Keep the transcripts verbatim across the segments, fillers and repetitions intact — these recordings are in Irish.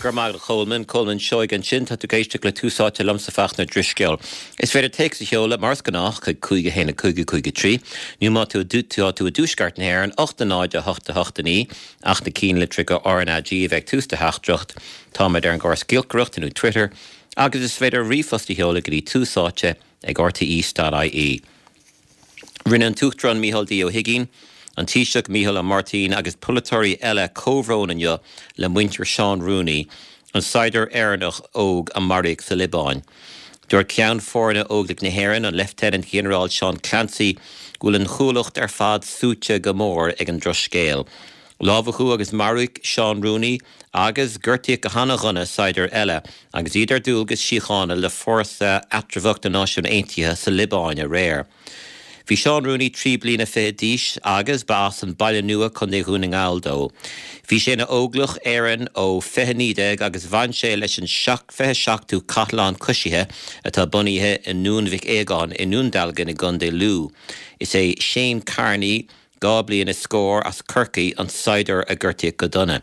Go raibh maith agat Colman, Colman Seoighe ansin tá tú ag éisteacht le Tús Áite liomsa Fachtna Drisceoil. Is féidir téacs a sheoladh mar is gnách chuig cúig a haon a cúig a cúig a trí, nó má tá tú tú i dtuaisceart na hÉireann ocht a náid a hocht a hocht a naoi ach na cinnlitreacha RnaG a bheith ag tús do theachtaireacht, Táimid ar an gcóras giolcaireachta nó Twitter, agus is féidir ríomhphost a sheoladh go dtí tús áite ag rte.ie. Rinne an tUachtarán Micheál D. Ó hUigínn, an Taoiseach Micheál Ó Máirtín agus polaiteoirí eile comhbhrón inniu le muintir Seán Rooney, an saighdiúir Éireannach óg a maraíodh sa Liobáin. Dúirt ceann foirne Óglaigh na hÉireann an Lieutenant General Seán Clancy go bhfuil an chuallacht ar fad suaite go mór ag an drochscéal. Lámhachadh agus maraíodh Seán Rooney agus gortaíodh go han-dona saighdiúir eile, agus iad ar dualgas síochána le fórsa eatramhach na Náisiún Aontaithe sa Liobáin aréir. Bhí Seán Rooney trí bliana fiche d'aois agus ba as an Baile Nua Contae Dhún na nGall dó. Bhí sé ina Óglach Éireann ó fiche naoi déag agus bhain sé leis an fiche seachtú Cathlán Coisithe atá bunaithe i nDún Mhic Aogáin i nDún Dealgan i gContae Lú. Is é Shane Carney dhá bliain is scór as Corcaigh an saighdiúir a gortaíodh go dona.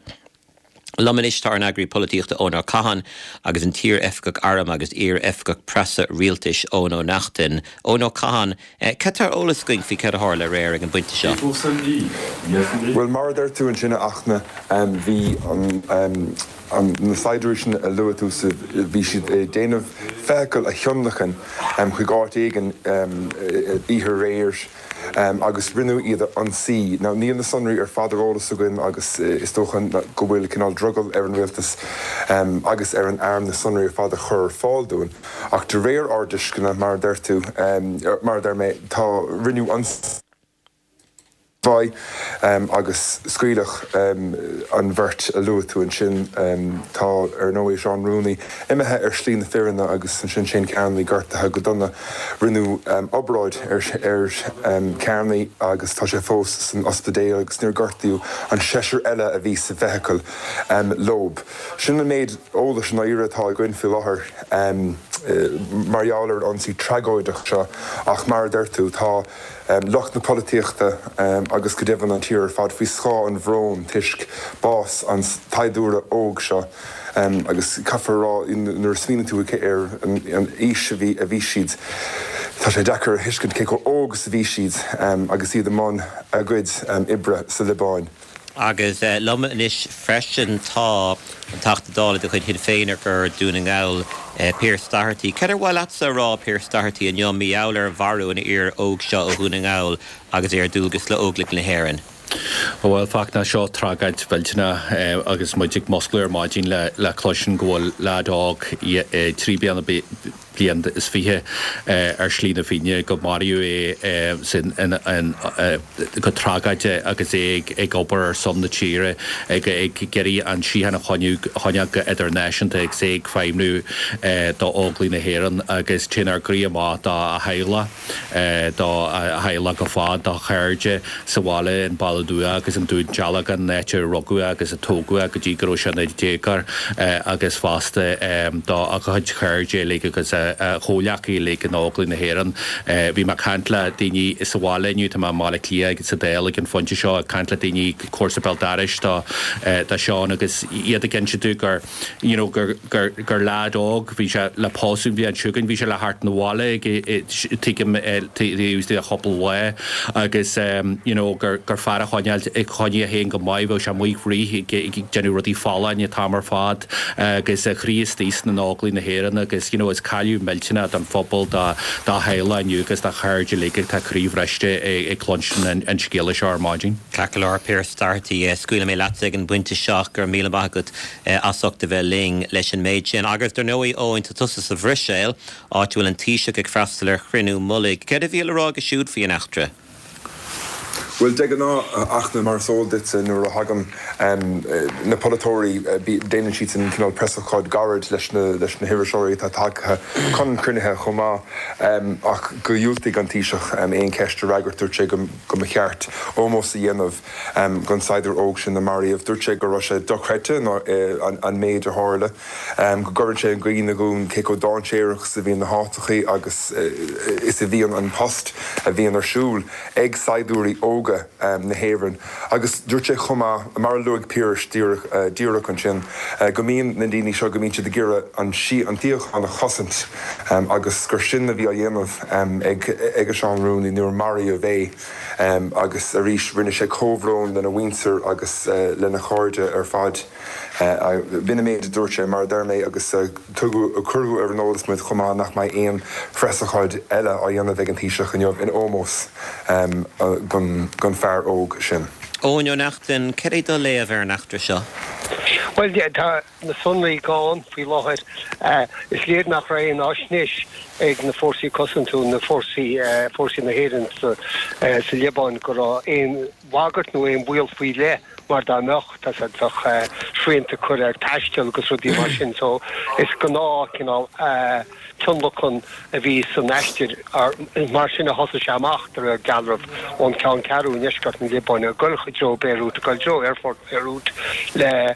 Liom anois tá an eagraí polaitíochta Eoin Ó Catháin agus an t-iar-oifigeach airm agus iar-oifigeach preasa rialtais Eoin Ó Neachtain. Eoin Ó Catháin, cad tá ar eolas againn faoi cad a tharla aréir ag an bpointe seo. Well mar a deir tú ansin a Fhachtna bhí an na saighdiúirí sin a luaigh tú bhí siad ag déanamh feithicil a thionlacan chuig áit éigin oíche aréir agus rinneadh iad a ionsaí. Now níl na sonraí ar fad ar eolas againn agus is dócha go bhfuil cineál drogall ar an rialtas agus ar an arm na sonraí ar fad a chur ar fáil dúinn. Ach de réir ár dtuisceana mar a deir tú mar a deir mé tá rinneadh ionsaí agus scaoileadh an bheirt a luaigh tú ansin tá ar ndóigh Seán Rooney imithe ar shlí na fírinne agus ansin Shane Carney gortaithe go dona rinneadh obráid ar ar Carney agus tá sé fós san ospidéal agus níor gortaíodh an seisear eile a bhí sa bhfeithicil leo. Sin an méid eolais an éire atá againn faoi láthair mar gheall ar an ionsaí tragóideach seo ach mar a deir tú tá lucht na polaitíochta agus go deimhin an tír ar fad faoi scáth an bhróin toisc bás an tsaighdiúra óg seo agus caithfear rá nuair a smaoiníonn tú ar an aois a bhí a bhí siad. Tá sé deacair a thuiscint cé chomh óg is a bhí siad agus iad i mbun a gcuid oibre sa Liobáin. Agus liom anois freisin tá an Teachta Dála de chuid Shinn Féin ar Dhún na nGall Pearse Doherty. Cad ar mhaith leatsa a rá Pearse Doherty inniu mar gheall ar mharú an fhir óg seo ó Dhún na nGall agus é ar dualgas le Óglaigh na hÉireann. Bhuel Fachtna seo tragóid mhillteanach agus muid ag musclú ar maidin le le cloisint go bhfuil leaid óg trí bliana bliain is fiche ar shlí na fírinne go maraíodh é sin go tragóideach agus é ag obair ar son na tíre ag ag iarraidh an tsíocháin a choinneáil go idirnáisiúnta agus é ag feidhmiú d'Óglaigh na hÉireann agus téann ár gcroí amach dá theaghlach dá theaghlach go fad dá chairde sa bhaile in Baile Nua agus an Dún Dealgan áit a rugadh agus a tógadh go dtí go raibh sé ina dhéagóir agus fosta dá a chuid chairde uilig agus a chomhghleacaithe uilig in Óglaigh na hÉireann. Bhí mé ag caint le daoine sa bhaile inniu tá mé i mBaile Átha Cliath sa Dáil ag an phointe seo ag caint le daoine comharsa béal dorais do do Seán agus iad ag inse domh gur you know gur gur gur leaid óg bhí sé le pósadh an bhliain seo chugainn bhí sé le theacht 'na bhaile ag tuigim a chúpla lá agus you know gur gur fear a choinneáil ag choinnigh é féin go maith bheadh sé amuigh ag rith ag déanamh rudaí folláine an t-am ar fad agus a chroí istigh sna Óglaigh na hÉireann agus you know is cailleadh millteanach don phobal dá dá theaghlach inniu agus dá chairde uilig atá croíbhriste ag cluinstin an scéala seo ar maidin. Ceart go leor Pearse Doherty scaoilfidh mé leatsa ag an bpointe seo gur míle maith agat as ucht a bheith linn leis an méid sin. Agus dar ndóigh Eoin tá tusa sa Bhruiséil áit a bhfuil an Taoiseach ag freastal ar chruinniú mullaigh. Cad a bhí le rá aige siúd faoin eachtra? Bhuel de ghnáth a Fhachtna mar is eol duit nuair a thagann na polaiteoirí déanann siad an cineál preasócáid gairid leis na leis na hiriseoirí atá tagtha chun cruinnithe chomh maith ach gur dhiúltaigh an Taoiseach aon cheist a fhreagairt dúirt sé go mba cheart ómós a dhéanamh don saighdiúir óg sin a maraíodh. Dúirt sé go raibh sé dochreidte an méid a tharla, go gcuireann sé i gcuimhne dhúinn cé chomh dainséarach is a bhíonn na háiteachaí agus is a bhíonn an post a bhíonn ar siúl ag saighdiúirí óga. óga na hÉireann. Agus dúirt sé chomh maith, mar a luaigh Piaras díreach ansin, go mbíonn na daoine seo, go mbíonn siad ag iarraidh an tsíocháin a chosaint agus gur sin a bhí á dhéanamh ag ag Seán Rooney nuair a maraíodh é. Agus arís rinne sé comhbhrón lena mhuintir agus lena chairde ar fad. B'in an méid a dúirt sé, mar a deir mé, agus tugadh, cuireadh ar an eolas muid chomh maith nach mbeidh aon phreasócáid eile á dhéanamh ag an Taoiseach inniu in ómós don fear óg sin. Eoin Ó Neachtain, cad é do léamh ar an eachtra seo? Bhuel, tá na sonraí gann faoi láthair. Is léir nach raibh aon fhaisnéis ag na fórsaí cosanta, na fórsaí, fórsaí na hÉireann sa Liobáin go raibh aon bhagairt nó aon bhaol faoi leith mar dá mbeadh, tá a fhios agat, bheadh srianta curtha ar taisteal agus rudaí mar sin. So is gnáth cineál tionlacan a bhí san aistear. Mar sin a thosaigh sé amach de réir dealraimh ón cheanncheathrú i ndeisceart na Liobáine ag dul i dtreo Beirut, ag dul i dtreo aerfort Beirut le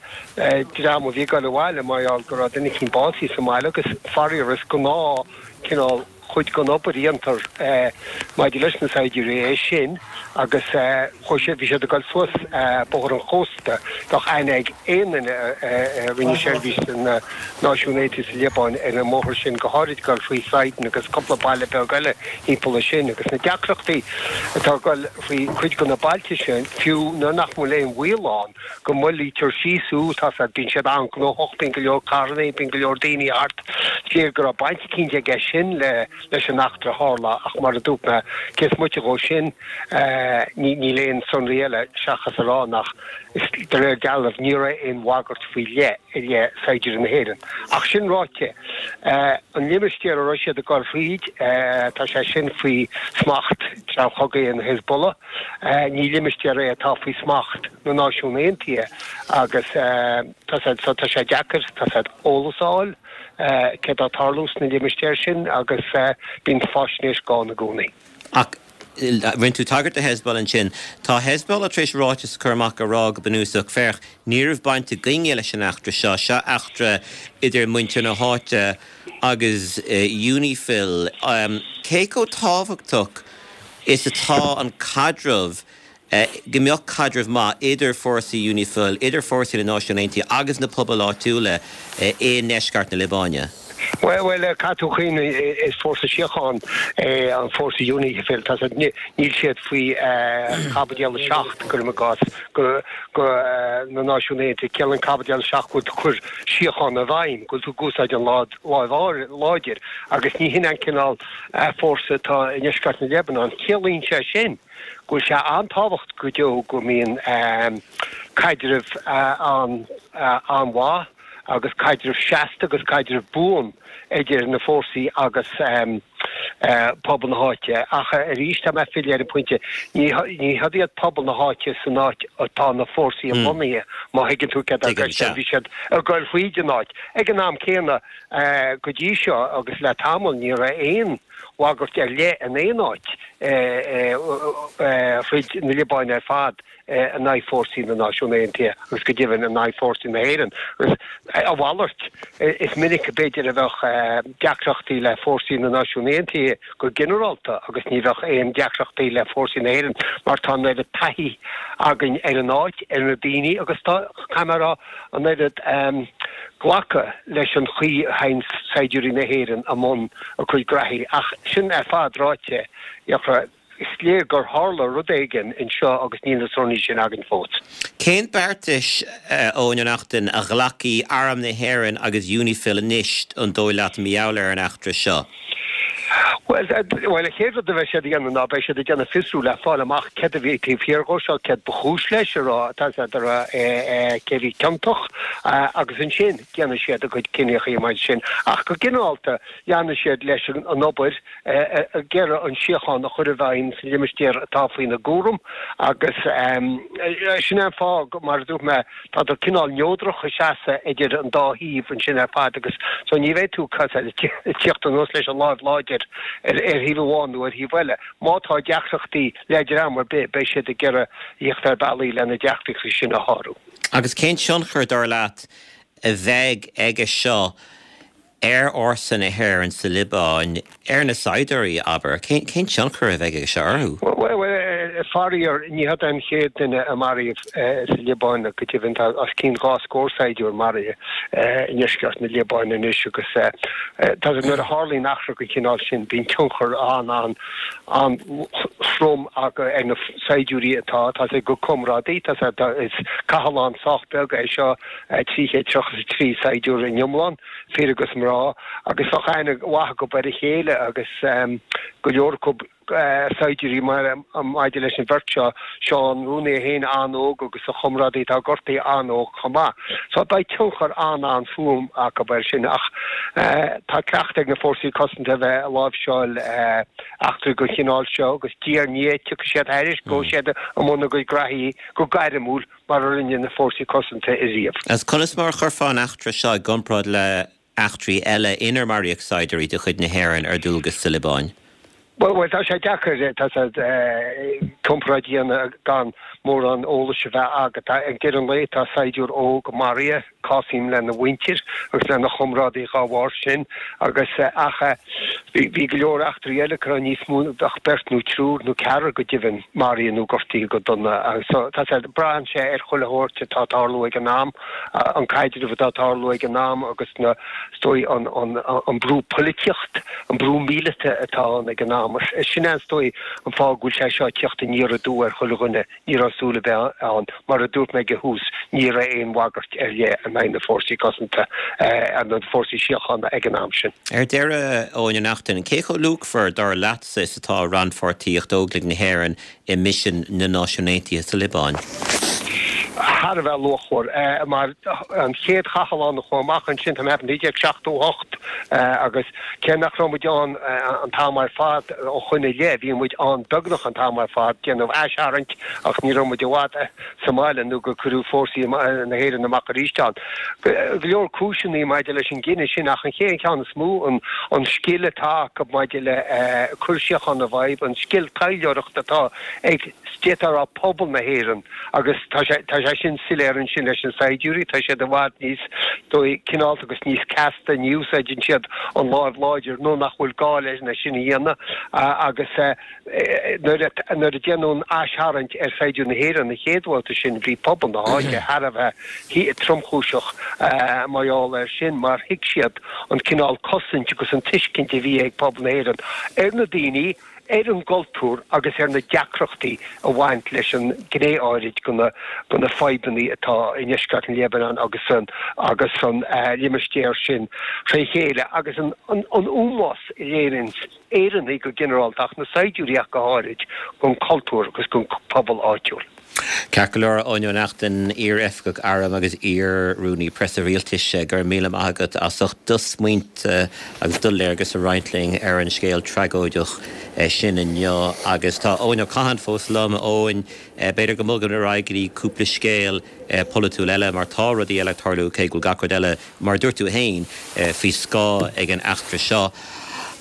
dream a bhí ag dul abhaile mar gheall go raibh duine eicínt básaithe sa mbaile agus faraor is gnáth cineál chuid den obair a dhéantar maidir leis na saighdiúirí é sin agus chuaigh siad, bhí siad ag dul suas Bóthar an Chósta, bheadh aithne ag aon duine a rinne seirbhís sna Náisiúin Aontaithe sa Liobáin ar an mbóthar sin, go háirid ag dul faoi Sidon agus cúpla baile beag eile thimpeall air sin agus na deacrachtaí atá ag dul faoi chuid de na bailte sin, fiú nuair nach bhfuil aon bhaol ann go moillítear síos thú, tá a fhios agat, bíonn siad an-ghnóthach, bíonn go leor carranna, bíonn go leor daoine thart, is léir go raibh baint eicínt aige sin le. leis an eachtra a tharla ach mar a dúirt mé, cé is moite dhó sin, níl aon sonraí eile seachas a rá nach, de réir dealraimh, ní raibh aon bhagairt faoi leith i leith saighdiúirí na hÉireann. Ach sin ráite, an limistéar a raibh siad ag dul thríd, tá sé sin faoi smacht dream chogaidh an Hezbollah. Ní limistéar é atá faoi smacht na Náisiún Aontaithe agus tá sé deacair, tá sé eolas a fháil. céard atá ag tarlú sna limistéir sin agus bíonn faisnéis gann i gcónaí. Ach rinne tú tagairt do Hezbollah ansin. Tá Hezbollah tar éis ráiteas a chur amach ag rá go bunúsach, féach, ní raibh baint againne leis an eachtra seo, seo eachtra idir muintir na háite agus UNIFIL. Cé chomh tábhachtach is atá an caidreamh go mbeadh caidreamh maith idir fórsaí UNIFIL, idir fórsaí na Náisiún Aontaithe agus na pobail áitiúla i ndeisceart na Liobáine. Bhuel, bhuel, caithfidh tú cuimhneamh, is fórsa síochána é an fórsa UNIFIL. Tá siad, níl siad faoi Chaibidil a seacht, cuirim i gcás, go, go na Náisiún Aontaithe. Ciallaíonn Caibidil a seacht go bhfuil tú ag cur síocháin i bhfeidhm, go bhfuil tú ag úsáid an láimh láidir, agus ní hin an cineál fórsa atá i ndeisceart na Liobáine. Ciallaíonn sé sin go bhfuil sé an-tábhachtach go deo go mbíonn caidreamh an-mhaith agus caidreamh seasta agus caidreamh buan idir na fórsaí agus pobal na háite. Ach arís, tá mé ag filleadh ar an bpointe, ní hiad iad pobal na háite san áit atá na fórsaí lonnaithe, má thuigeann tú céard atá i gceist. Bhí siad ag goil thríd an áit. Ag an am céanna, go dtí seo agus le tamall, ní raibh aon bhagairt ar leith in aon áit thríd na Liobáine ar fad in aghaidh fórsaí na Náisiún Aontaithe agus go deimhin in aghaidh fórsaí na hÉireann. Agus a mhalairt, is minic b'fhéidir a bheadh deacrachtaí le fórsaí na Náisiún Aontaithe go ginearálta agus ní bheadh aon deacrachtaí le fórsaí na hÉireann mar tá an oiread taithí againn ar an áit, ar na daoine agus tá, caithfidh mé a rá, an oiread glacadh leis an chaoi a théann saighdiúirí na hÉireann i mbun a gcuid graithí. Ach sin ar fad ráite, is léir gur tharla rud éigin anseo agus níl na sonraí sin againn fós. Cén beartais, a Eoin Ó Neachtain, a ghlacfaidh Arm na hÉireann agus UNIFIL anois, an dóigh leat, mar gheall ar an eachtra seo? Bhuel, an chéad rud a bheidh siad a dhéanamh ná beidh siad ag déanamh fiosrú le fáil amach céard a bhí taobh thiar dhó seo, céard ba chúis leis, a rá, tá a fhios agat, a rá cé a bhí ciontach agus ansin déanfaidh siad a gcuid cinneachaí maidir sin. Ach go ginearálta, leanfaidh siad leis an obair ag iarraidh an síocháin a chur i bhfeidhm sa limistéar atá faoina gcúram agus sin é an fáth, mar a dúirt mé, Tádar cineál neodrach ag seasamh idir an dá thaobh ansin ar fad agus so ní bheidh tú ag tíocht anuas leis an láimh láidir ar thaobh amháin nó ar thaobh eile. Má tá deacrachtaí le dream ar bith beidh siad ag iarraidh thíocht ar bealaí le na deacrachtaí sin a shárú. Agus cén tionchar, dar leat, a bheidh aige seo ar fhórsa na hÉireann sa Liobáin, ar na saighdiúirí, abair? Cén tionchar a bheidh aige seo orthu? Bhuel, Faraor, ní hé an chéad duine a maraíodh sa Liobáin, go deimhin tá os cionn dhá scór saighdiúir maraithe i ndeisceart na Liobáine anois agus tá nuair a tharlaíonn eachtra den chineál sin bíonn tionchar an-an-an-throm acu ar na saighdiúirí atá tá a gcuid comrádaí, tá is cathlán sách beag é seo trí chéad tríocha is a trí saighdiúir in iomlán, fir agus mná, agus bheadh aithne mhaith acu ar a chéile agus go leor acu saighdiúirí maidir leis an bheirt seo, Seán Rooney é féin an-óg agus a chomrádaí atá gortaithe an-óg chomh maith. So beidh tionchar an-an-trom acu air sin ach tá cleachtadh ag na Fórsaí Cosanta a bheith ag láimhseáil eachtraí den chineál seo agus diaidh ar ndiaidh tiocfaidh siad thairis, gabhfaidh siad i mbun a gcuid graithí go gairmiúil mar a rinne na Fórsaí Cosanta ariamh. Agus conas mar a chuirfeá an eachtra seo i gcomparáid le heachtraí eile inar maraíodh saighdiúirí de chuid na hÉireann ar dualgas sa Liobáin? Bhuel, tá sé deacair comparáid a dhéanamh gan mórán eolais a bheith agat. Ag deireadh an lae, tá saighdiúir óg maraithe, cásaím lena mhuintir agus lena chomrádaí dhá bharr sin agus ach bhí go leor eachtraí eile go raibh níos mó, bheadh beirt nó triúr nó ceathrar go deimhin maraithe nó gortaithe go dona. So tá sé, braitheann sé ar chuile shórt atá ag tarlú ag an am, an caidreamh atá ag tarlú ag an am agus na, is dóigh, an, an, an brú polaitíocht, an brú míleata atá ann ag an am. Sin é, is dóigh, an fáth go bhfuil sé seo ag teacht aniar aduaidh ar chuile dhuine. Ní raibh súil ar bith ann. Mar a dúirt mé ag an thús, ní raibh aon bhagairt ar leith in aghaidh na Fórsaí Cosanta, na Fórsaí Síochána ag an am sin. Ar deireadh, Eoin Ó Neachtain, cé chomh luachmhar, dar leatsa, is atá rannpháirtíocht Óglaigh na hÉireann i misean na Náisiún Aontaithe sa Liobáin? Thar a bheith luachmhar, mar an chéad chathlán a chuaigh amach ansin, tá mé ag ceapadh, naoi déag seachtó a hocht, agus cé nach raibh muid ann an t-am ar fad ó shoin i leith, bhí muid ann beagnach an t-am ar fad, déanamh aistharraingt ach ní raibh muid i bhfad sa mbaile nó gur cuireadh fórsaí na hÉireann amach arís ann. Go leor cúiseanna maidir leis an gcinneadh sin ach an chéad cheann is mó, an scil atá acu maidir le cur síochána i bhfeidhm, an scil taidhleoireachta atá ag, d'fhéadfá a rá, pobal na hÉireann agus tá sé tá sé sin soiléir ansin leis na saighdiúirí, tá siad i bhfad níos dóigh cineálta agus níos casta, ní úsáideann siad an láimh láidir nó nach bhfuil gá leis sin a dhéanamh agus nuair a nuair a déanadh an aistharraingt ar saighdiúirí na hÉireann an chéad bhabhta sin bhí pobal na háite thar a bheith tromchúiseach mar gheall air sin mar thuig siad an cineál cosaint agus an tuiscint a bhí ag pobal na hÉireann ar na daoine ar an gcultúr agus ar na deacrachtaí a bhain leis an gné áirid de na de na fadhbanna atá i ndeisceart an Liobáin agus san agus san limistéar sin tré chéile agus an an an ómós a léiríonn Éireannaigh go ginearálta ach na saighdiúirí ach go háirid don chultúr agus don phobal áitiúil. Ceart go leor, Eoin Ó Neachtain, iar-oifigeach airm agus iar-rúnaí preasa rialtais, go raibh míle maith agat as ucht do smaointe agus do léargas a roinnt linn ar an scéal tragóideach sin inniu. Agus tá Eoin Ó Catháin fós liom. Eoin, b'fhéidir go mbogfaimid ar aghaidh go dtí cúpla scéal polaitiúil eile mar tá rudaí eile ag tarlú cé go bhfuil gach rud eile, mar a dúirt tú féin, faoi scáth ag an eachtra seo.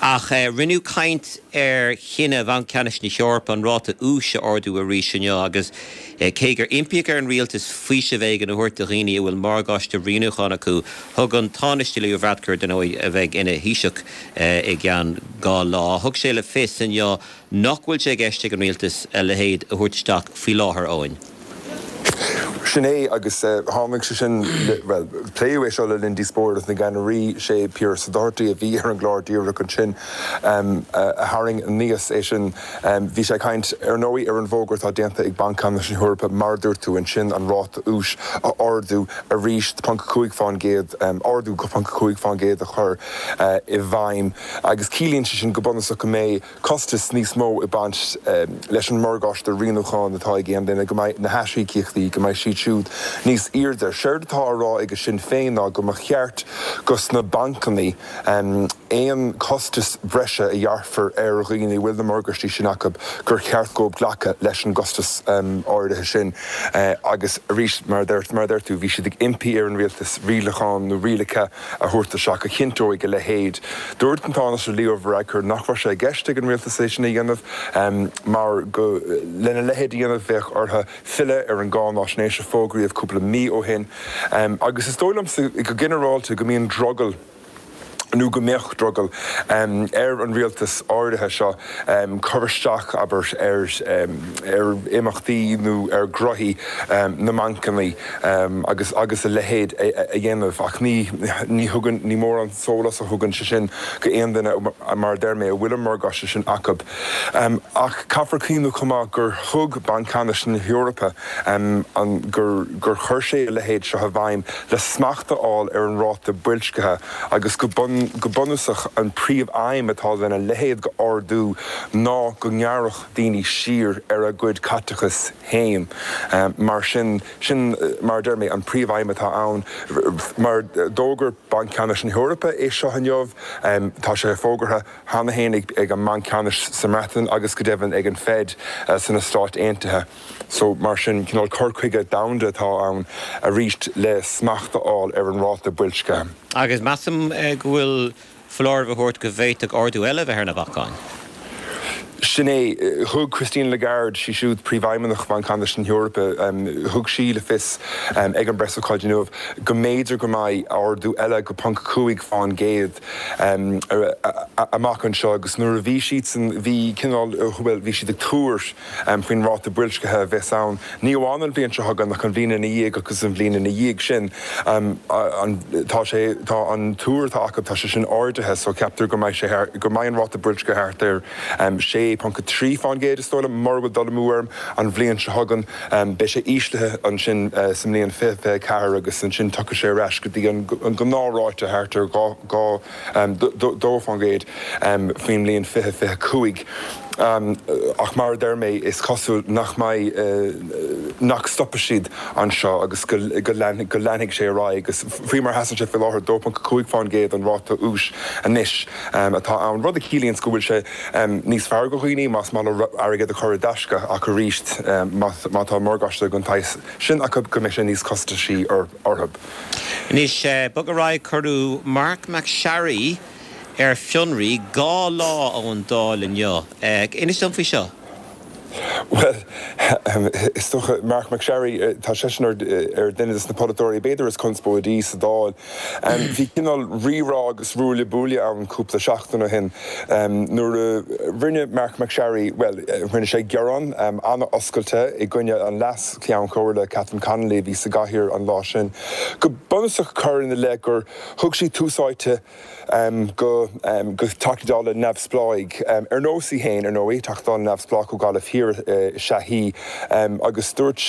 Ach rinneadh caint ar chinneadh Bhanc Ceannais na hEorpa an ráta úis a ardú arís inniu agus cé gur impíodh ar an rialtas faoiseamh éigin a thabhairt do dhaoine a bhfuil morgáiste rianúcháin acu, thug an Tánaiste Leo Varadkar, dar ndóigh, a bheidh ina Thaoiseach i gceann dhá lá, thug sé le fios inniu nach bhfuil sé i gceist ag an rialtas a leithéid a thabhairt isteach faoi láthair. Eoin. Sin é, agus tháinig sé sin, bhuel, pléadh é seo le linn díospóireacht na gceannairí, sé Pearse Doherty a bhí ar an gclár díreach ansin a tharraing aníos é sin. Bhí sé ag caint, ar ndóigh, ar an bhfógra atá déanta ag Banc Ceannais na hEorpa, mar a dúirt tú ansin, an ráta úis a ardú arís, ponc a cúig fán gcéad, ardú ponc a cúig fán gcéad a chur i bhfeidhm agus ciallaíonn sé sin go bunúsach go mbeidh costas níos mó ag baint leis an morgáiste rianúcháin atá ag aon duine, go mbeidh na haisíocaíochtaí, go mbeidh siad siúd níos airde. Séard atá á rá aige Sinn Féin ná go mba cheart go sna bancanna aon costas breise a ghearrfar ar dhaoine a bhfuil na morgáistí sin acu, gur cheart dóibh glacadh leis an gcostas áirithe sin. Agus arís, mar a deir tú, bhí siad ag impí ar an rialtas rialachán nó rialacha a thabhairt isteach a chinnteoidh a leithéid. Dúirt an Tánaiste Leo Varadkar nach raibh sé i gceist ag an rialtas é sin a dhéanamh mar go lena leithéid a dhéanamh bheadh orthu filleadh ar an gcáináisnéis a fógraíodh cúpla mí ó shin. Agus is dóigh liomsa go ginearálta go mbíonn drogall nó go mbeadh drogall ar an rialtas áirithe seo cur isteach, abair, ar ar imeachtaí nó ar ghnoithí na mbancanna agus agus a leithéid a dhéanamh. Ach ní ní thugann, ní mórán sólás a thugann sé sin go aon duine, mar a deir mé, a bhfuil an morgáiste sin acu. Ach caithfear cuimhniú chomh maith gur thug Banc Ceannais na hEorpa an gur gur chuir sé a leithéid seo i bhfeidhm le smacht a fháil ar an ráta boilscithe agus go go bunúsach an príomh-aidhm atá lena leithéid go ardú ná go ngearrfadh daoine siar ar a gcuid caiteachas féin. Mar sin, sin mar a deir mé, an príomh-aidhm atá ann. Mar d'fhógair Banc Ceannais na hEorpa é seo inniu, tá sé fógartha cheana féin ag an mBanc Ceannais sa mBreatain agus go deimhin ag an Fed sna Stáit Aontaithe. So mar sin, cineál cur chuige domhanda atá ann arís le smacht a fháil ar an ráta boilscithe. Agus measaim go bhfuil foláireamh á thabhairt go bhféadfadh ardú eile a bheith ar na bacáin. Sin é. Thug Christine Lagarde, sí siúd Príomhfheidhmeannach Bhanc Ceannais na hEorpa, thug sí le fios ag an bpreasócáid inniu go mb'fhéidir go mbeidh ardú eile go ponc cúig fán gcéad amach anseo agus nuair a bhí siadsan, bhí cineál, bhuel, bhí siad ag tuar faoin ráta boilscithe a bheas ann, ní amháin an bhliain seo chugainn ach an bhliain ina dhiaidh agus an bhliain ina dhiaidh sin. Tá sé, tá an tuar atá acu, tá sé sin ardaithe so ceaptar go mbeidh sé thar, go mbeidh an ráta boilscithe thart ar sé ponc a trí fán gcéad is dóigh liom, mura bhfuil dul amú orm, an bhliain seo chugainn. Beidh sé íslithe ansin sa mbliain fiche fiche ceathair agus ansin tiocfaidh sé ar ais go dtí an gnáthráite thart ar dhá, dhá, dó fán gcéad faoin mbliain fiche fiche cúig. Ach mar a deir mé, is cosúil nach mbeidh, nach stopfaidh siad anseo agus go leanfaidh sé ar aghaidh agus faoi mar a sheasann sé faoi láthair, dó ponc cúig fán gcéad an ráta úis anois atá ann, rud a chiallaíonns go bhfuil sé níos fearr go dhaoine más maith leo airgead a chur i dtaisce ach arís má tá morgáiste den tsaghas sin acu go mbeidh sé níos costasaí orthu. Anois, bog ar aghaidh, cuireadh Marc MacSharry ar fionraí dhá lá ón Dáil inniu. Inis dom faoi seo. Bhuel, is dócha, Marc MacSharry, tá seisean ar duine de na polaiteoirí b'fhéidir is conspóidí sa Dáil. Bhí cineál rírá agus ruaille buaille ann cúpla seachtain ó shin nuair a rinne Marc MacSharry, bhuel, rinne sé gearán an-oscailte i gcoinne an Leas-Cheann Comhairle, Catherine Connolly, a bhí sa gcathaoir an lá sin. Go bunúsach cur ina leith gur thug sí tús áite go Teachtaí Dála neamhspleáigh, ar nós í féin, ar ndóigh, Teachta Dála neamhspleách ó Ghaillimh Thiar is ea í, agus dúirt,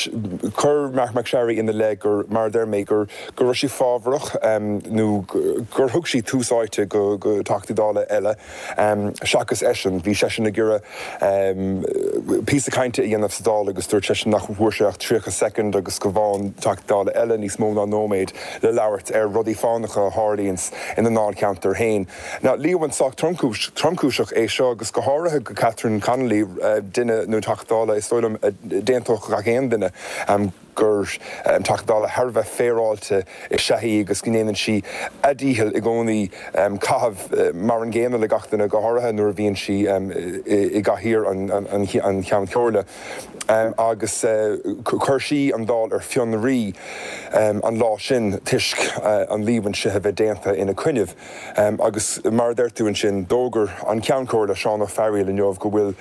chuir Marc MacSharry ina leith gur, mar a deir mé, gur go raibh sí fábharach nó gur thug sí tús áite go Teachtaí Dála eile seachas eisean. Bhí seisean ag iarraidh píosa cainte a dhéanamh sa Dáil agus dúirt seisean nach bhfuair sé ach tríocha soicind agus go bhfaigheann Teachta Dála eile níos mó ná nóiméad le labhairt ar rudaí fánacha a tharlaíonns ina ndáilcheantar féin. Now, líomhain sách tromchúiseach é seo agus go háirithe go Catherine Connolly, duine nó Teachta Dála is dóigh liom a d'aontódh gach aon duine gur Teachta Dála thar a bheith féaráilte is ea í agus go ndéanann sí a dícheall i gcónaí caitheamh mar an gcéanna le gach duine, go háirithe nuair a bhíonn sí i gcathaoir an Cheann Chomhairle. Agus chuir sí an Dáil ar fionraí an lá sin toisc an líomhain seo a bheith déanta ina coinnibh. Agus mar a deir tú ansin, d'fhógair an Ceann Comhairle, Seán Ó Fearghaíl inniu go bhfuil,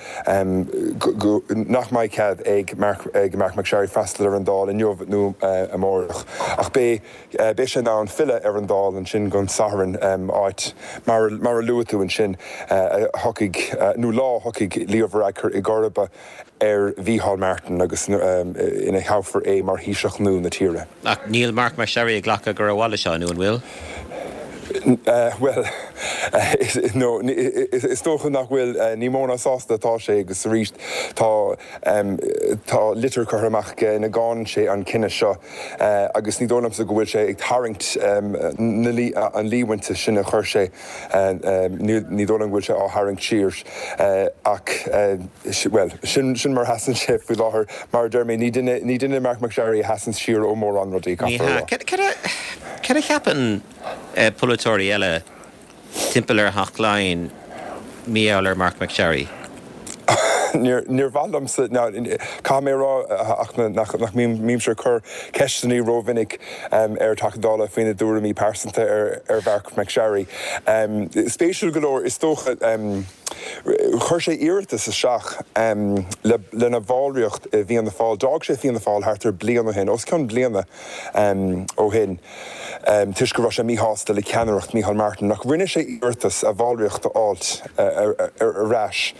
go, nach mbeidh cead ag Marc, ag Marc MacSharry freastal ar an Dáil inniu nó amárach. Ach beidh, beidh sé in ann filleadh ar an Dáil ansin don Satharn, áit, mar, mar a luaigh tú ansin, a thiocfaidh, nó lá a thiocfaidh Leo Varadkar i gcomharba ar Mhícheál Martin agus ina thoghfar é mar Thaoiseach nua na tíre. Ach níl Marc MacSharry ag glacadh gur amhlaidh seo, nó an bhfuil? Bhuel, no, is dócha nach bhfuil. Ní mó ná sásta atá sé agus arís tá tá litir curtha amach aige ina gcáineann sé an cinneadh seo agus ní dóigh liomsa go bhfuil sé ag tarraingt an líomhainte sin a chuir sé, ní dóigh liom go bhfuil sé á tharraingt siar ach, bhuel, sin sin mar a sheasann sé faoi láthair. Mar a deir mé, ní duine ní duine Marc MacSharry a sheasann siar ó mórán rudaí, Ní caithfear a hea. rá. Cad cad a cad a cheapann polaiteoirí eile timpeall ar Theach Laighean mar gheall ar Marc MacSharry? Níor mhaith liomsa, caithfidh mé a rá ach nach mbímse ag cur ceisteanna rómhinic ar Theachta Dála faoina dtuairimí pearsanta ar Mharc MacSharry. Spéisiúil go leor, is dócha, chuir sé iarratas isteach lena bhallraíocht i bhFianna Fáil. D'fhág sé Fianna Fáil thart ar bliain ó shin, os cionn bliana ó shin, toisc go raibh sé míshásta le ceannaireacht Micheál Martin. Ach rinne sé iarratas a bhallraíocht a fháilt ar ais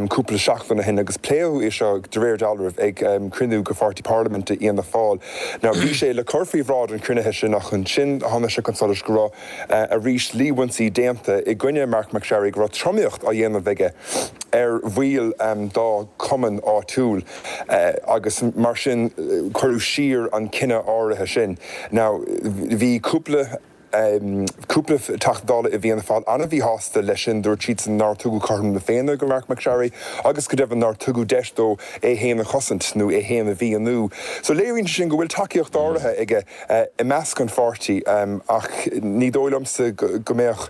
cúpla seachtain ó shin agus pléadh é seo de réir dealraimh ag cruinniú de Pháirtí Parlaiminte Fhianna Fáil. Now bhí sé le cur faoi bhráid an chruinnithe sin ach ansin tháinig sé chun solais go raibh arís líomhaintí déanta i gcoinne Marc MacSharry go raibh tromaíocht á dhéanamh aige ar bhaill dá chumann áitiúil agus mar sin cuireadh siar an cinneadh áirithe sin. Now bhí cúpla cúpla Teachta Dála i bhFianna Fáil an-mhíshásta leis sin, dúirt siadsan nár tugadh cothrom na Féinne do Marc MacSharry agus go deimhin nár tugadh deis dó é féin a chosaint nó é féin a mhíniú. So léiríonn sé sin go bhfuil tacaíocht áirithe aige i measc an pháirtí ach ní dóigh liomsa go mbeadh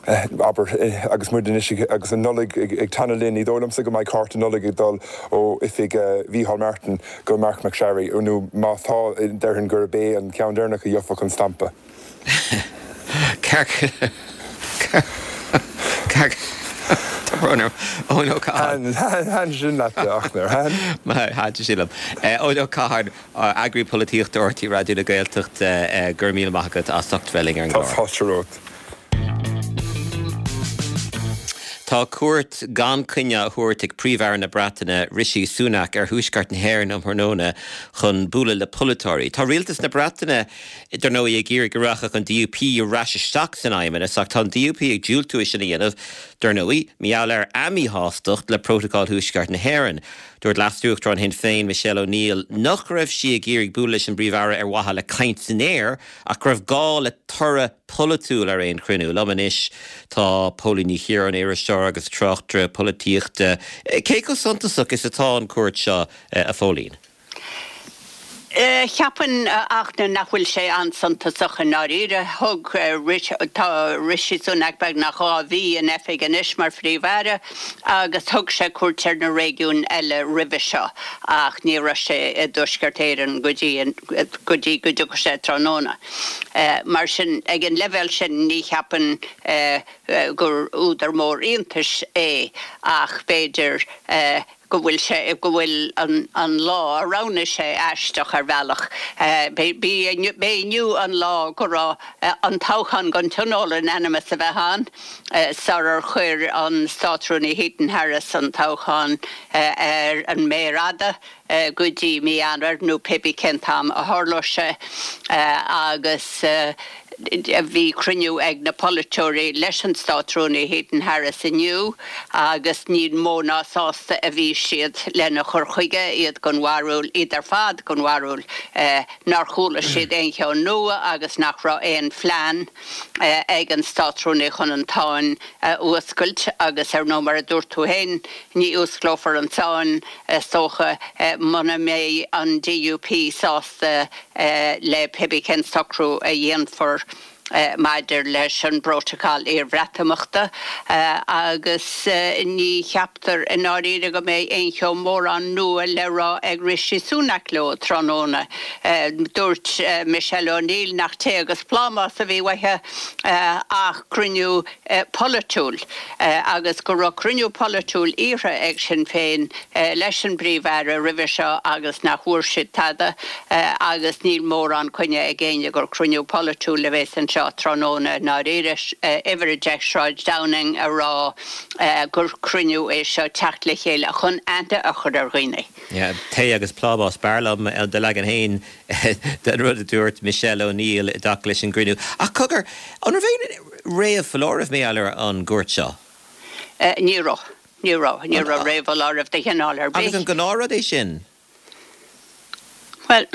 abair, agus muid anois agus an Nollaig ag teannadh linn, ní dóigh liomsa go mbeidh cárta Nollag ag dul ó oifig Mhícheál Martin go Marc MacSharry, nó má tá, déarfainn gurb é an ceann deireanach a gheobhadh an stampa. Tá brón orm. Eoin Ó Catháin. Thaitin sin leat, a Fhachtna, ar thaitin? Thaitin sin liom. Eoin Ó Catháin, Eagraí Polaitíochta R T Raidió na Gaeltachta, go raibh míle maith agat as ucht bheith linn ar an gclár. Tá fáilte romhat. Tá cuairt gan choinne á thabhairt ag Príomh-Aire na Breataine, Rishi Sunak, ar thuaisceart na hÉireann um thráthnóna chun bualadh le polaiteoirí. Tá rialtas na Breataine, dar ndóigh, ag iarraidh go rachadh an D U P ar ais isteach san fheidhmeannas ach tá an D U P ag diúltú é sin a dhéanamh, dar ndóigh, mar gheall ar a míshástacht le Prótacal Thuaisceart na hÉireann. Dúirt Leas-Uachtarán Shinn Féin, Michelle O'Neill, nach raibh sí ag iarraidh bualadh leis an bPríomh-Aire ar mhaithe le caint san aer ach go raibh gá le toradh polaitiúil ar aon chruinniú. Liom anois tá Póilín Ní Chiaráin, iriseoir agus tráchtaire polaitíochta. Cé chomh suntasach is atá an cuairt seo, a Phóilín? Cheapfainn, a Fhachtna, nach bhfuil sé an-suntasach i ndáiríre. Thug tá Rishi Sunak beagnach dhá mhí in oifig anois mar Phríomh-Aire agus thug sé cuairt ar na réigiúin eile roimhe seo ach ní raibh sé i dTuaisceart Éireann go dtí go dtí go dtiocfaidh sé tráthnóna. Mar sin, ag an leibhéal sin, ní cheapfainn gur údar mór iontais é ach b'fhéidir go bhfuil sé, go bhfuil an lá a roghnaigh sé aisteach ar bhealach. B'é inniu an lá go raibh an toghchán don Tionól in ainm is a bheith ann sarar chuir an Státrúnaí Heaton Harris an toghchán ar an méar fhada go dtí mí Eanáir nó pé bí cén t-am a tharlóidh sé agus bhí cruinniú ag na polaiteoirí leis an Státrúnaí Heaton Harris inniu agus ní mó ná sásta a bhí siad lena chur chuige, iad den bharúil, iad ar fad den bharúil, nár chuala siad aon cheann nua agus nach raibh aon phlean ag an Státrúnaí chun an tsáinn a fhuascailt agus ar ndóigh mar a dúirt tú féin, ní fhuasclófar an tsáinn, is dócha, muna mbeidh an D U P sásta le pé bí cén socrú a dhéanfar maidir leis an bPrótacal iarBhreatimeachta agus ní cheaptar i ndáiríre go mbeidh aon cheo mórán nua le rá ag Rishi Sunak leo tráthnóna. Dúirt Michelle O'Neill nach tae agus plámás a bhí uathu ach cruinniú polaitiúil agus go raibh cruinniú polaitiúil iarrtha ag Sinn Féin leis an bPríomh-Aire roimhe seo agus nach bhfuair siad tada agus níl mórán coinne ag éinne gur cruinniú polaitiúil a bheas anseo tráthnóna i ndáiríre. Uimhir a deich Sráid Downing a rá gur cruinniú é seo teacht le chéile chun aithne a chur ar dhaoine. Tae agus plámás, b'fhearr liom do leagan féin den rud a dúirt Michelle O'Neill i dtaca leis an gcruinniú. Ach cogar, an raibh aon réamhfholáireamh mar gheall ar an gcuairt seo? Ní raibh. Ní raibh. Ní raibh réamhfholáireamh de chineál ar bith. Agus an gnáthrud é sin? Bhuel,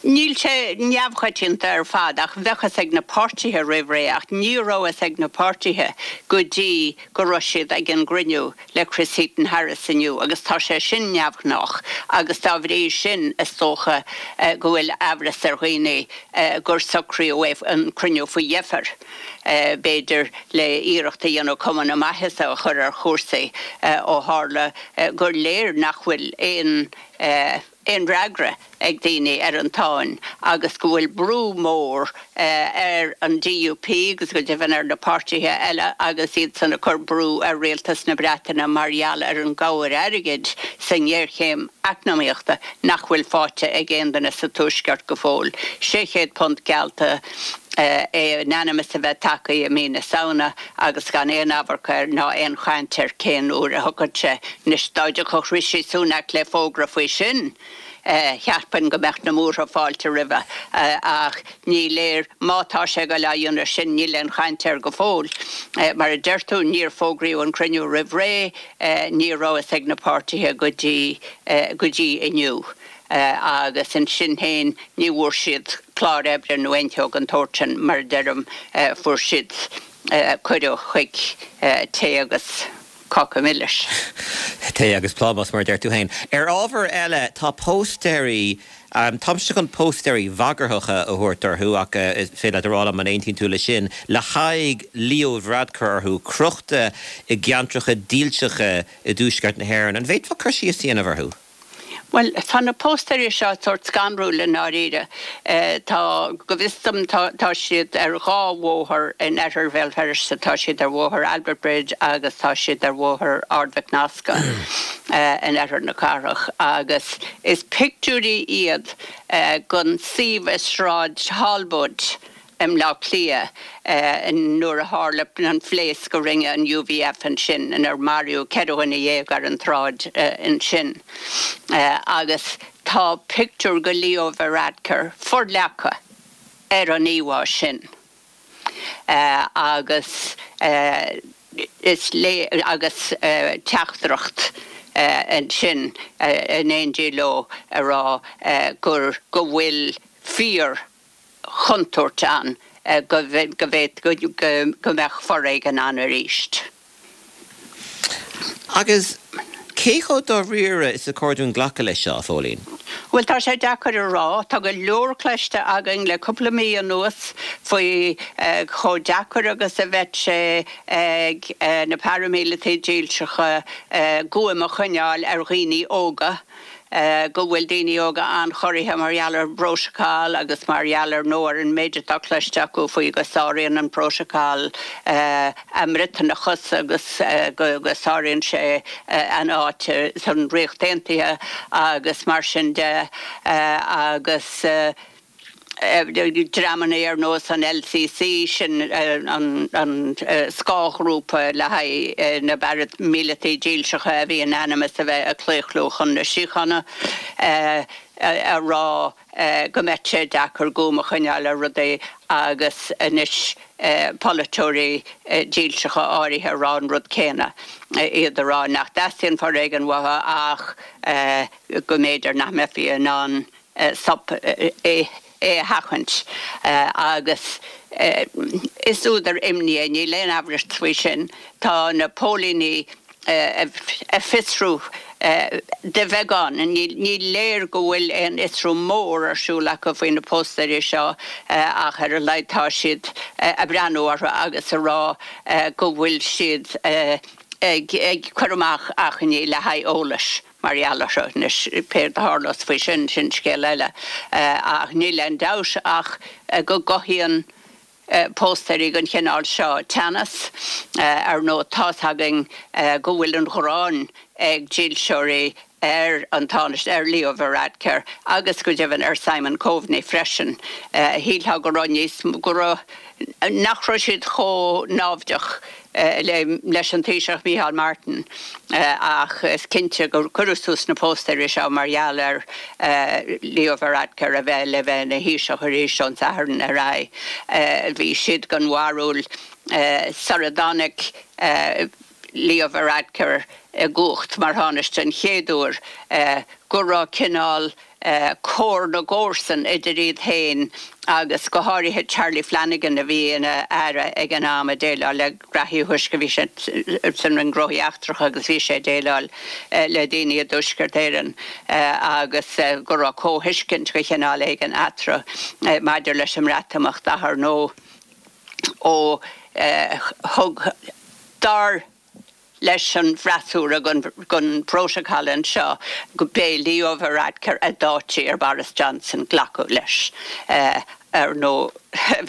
níl sé neamhchoitianta ar fad ach bheadh fhios ag na páirtithe roimh ré ach ní raibh fhios ag na páirtithe go dtí go raibh siad ag an gcruinniú le Chris Heaton-Harris inniu agus tá sé sin neamhghnách agus dá bhrí sin is dócha go bhfuil amhras ar dhaoine gur socraíodh an cruinniú faoi dheifir. b'fhéidir le iarracht a dhéanamh cuma na maitheasa a chur ar chúrsaí ó tharla gur léir nach bhfuil aon aon fhreagra ag daoine ar an tsáinn agus go bhfuil brú mór ar an D U P agus go deimhin ar na páirtithe eile agus iad san ag cur brú ar rialtas na Breataine mar gheall ar an gcabhair airgid sa ngéarchéim eacnamaíochta nach bhfuil faighte ag aon duine sa Tuaisceart go fóill. Sé chéad punt geallta é in ainm is a bheith tagtha i mí na Samhna agus gan aon amharc air ná aon chaint ar cén uair a thiocfadh sé. Anois dá dtiocfadh Rishi Sunak le fógra faoi sin, cheapfainn go mbeadh na múrtha fáilte roimhe ach ní léir má tá sé go le dhéanamh sin, níl aon chaint air go fóill. Mar a deir tú, níor fógraíodh an cruinniú roimh ré, ní raibh fhios ag na páirtithe go dtí go dtí inniu. Agus ansin féin ní bhfuair siad clár oibre nó aon cheo den tsórt sin, mar a deirim, fuair siad cuireadh chuig tae agus cáca milis. Tae agus plámás, mar a deir tú féin. Ar ábhar eile, tá póstaeirí, táimse chun póstaeirí bhagarthacha a thabhairt orthu ach is féidir leat a rá liom an aontaíonn tú leis sin, le haghaidh Leo Varadkar orthu, crochta i gceantracha dílseacha i dtuaisceart na hÉireann. An bhféadfá cur síos a dhéanamh orthu? Bhuel, tá na póstaeirí seo sórt scanrúil i ndáiríre. Tá, go bhfios dom, tá siad ar dhá bhóthar in oirthear Bhéal Feirste, tá siad ar Bhóthar Albert Bridge agus tá siad ar Bhóthar Ard Mhic Nasca in oirthear na cathrach. Agus is pictiúirí iad den suíomh i Sráid Thalbóid i mBleá Cliath nuair a tharla an phléasc a rinne an U V F ansin inar maraíodh ceithre dhuine dhéag ar an tsráid ansin. Agus tá pictiúr de Leo Varadkar forleagtha ar an íomhá sin. Agus is le agus teachtaireacht ansin in éindí leo a rá gur go bhfuil fíor chontúirt ann go go mbeadh foréigean ann arís. Agus cé chomh dáiríre is a chóir dúinn glacadh leis seo, a Phóilín? Bhuel, tá sé deacair a rá. Tá go leor cloiste againn le cúpla mí anuas faoi chomh deacair agus a bheadh sé ag na paraimíleataigh dílseacha guaim a choinneáil ar dhaoine óga, go bhfuil daoine óga an-chorraithe mar gheall ar an bprótacal agus mar gheall ar nó ar an méid atá cloiste acu faoi go sáraíonn an prótacal a mBriotanachas agus go go sáraíonn sé an áit san Ríocht Aontaithe agus mar sin de agus dreamanna ar nós an L C C, sin an an scáthghrúpa le haghaidh na bparaimíleataigh dílseacha a bhí in ainm is a bheith ag claochlú chun na síochána, a rá go mbeadh sé deacair guaim a choinneáil ar rudaí agus anois polaiteoirí dílseacha áirithe a rá an rud céanna, iad a rá nach dteastaíonn foréigean uathu ach go mb'fhéidir nach mbeifí in ann stop é é a sheachaint agus is údar imní é, níl aon amhras faoi sin. Tá na póilíní ag fiosrú de bheagán, ní léir go bhfuil aon fhiosrú mór ar siúl acu faoi na póstaeirí seo ach ar a laghad tá siad ag breathnú orthu agus a rá go bhfuil siad ag ag cur amach achainí le haghaidh eolais mar gheall orthu. Anois céard a tharlós faoi sin, sin scéal eile ach níl aon dabht ach go gcothaíonn póstaeirí den chineál seo teannas. Ar ndóigh tá's againn go bhfuil an ghráin ag dílseoirí ar an Tánaiste, ar Leo Varadkar agus go deimhin ar Simon Coveney freisin. Shílfeá go raibh níos go raibh nach raibh siad chomh naimhdeach leis an Taoiseach Micheál Martin ach is cinnte gur cuireadh suas na póstaeirí seo mar gheall ar Leo Varadkar a bheith le bheith ina Thaoiseach arís ón Satharn ar aghaidh. Bhí siad den bharúil sara dtáinig Leo Varadkar i gcumhacht mar Thánaiste an chéad uair go raibh cineál comhar na gcomharsan idir iad féin agus go háirithe Charlie Flanagan a bhí ina aire ag an am ag déileáil le graithí huisce, bhí sé san Roinn Gnóthaí Eachtracha agus bhí sé ag déileáil le daoine i dTuaisceart Éireann agus go raibh comhthuiscint de chineál éigin eatarthu maidir leis an mBreatimeacht ach ar ndóigh. ó thug dar leis an bhfreasúra gon bprótacal anseo go b'é Leo Varadkar a d'áitigh ar Boris Johnson glacadh leis. Ar ndóigh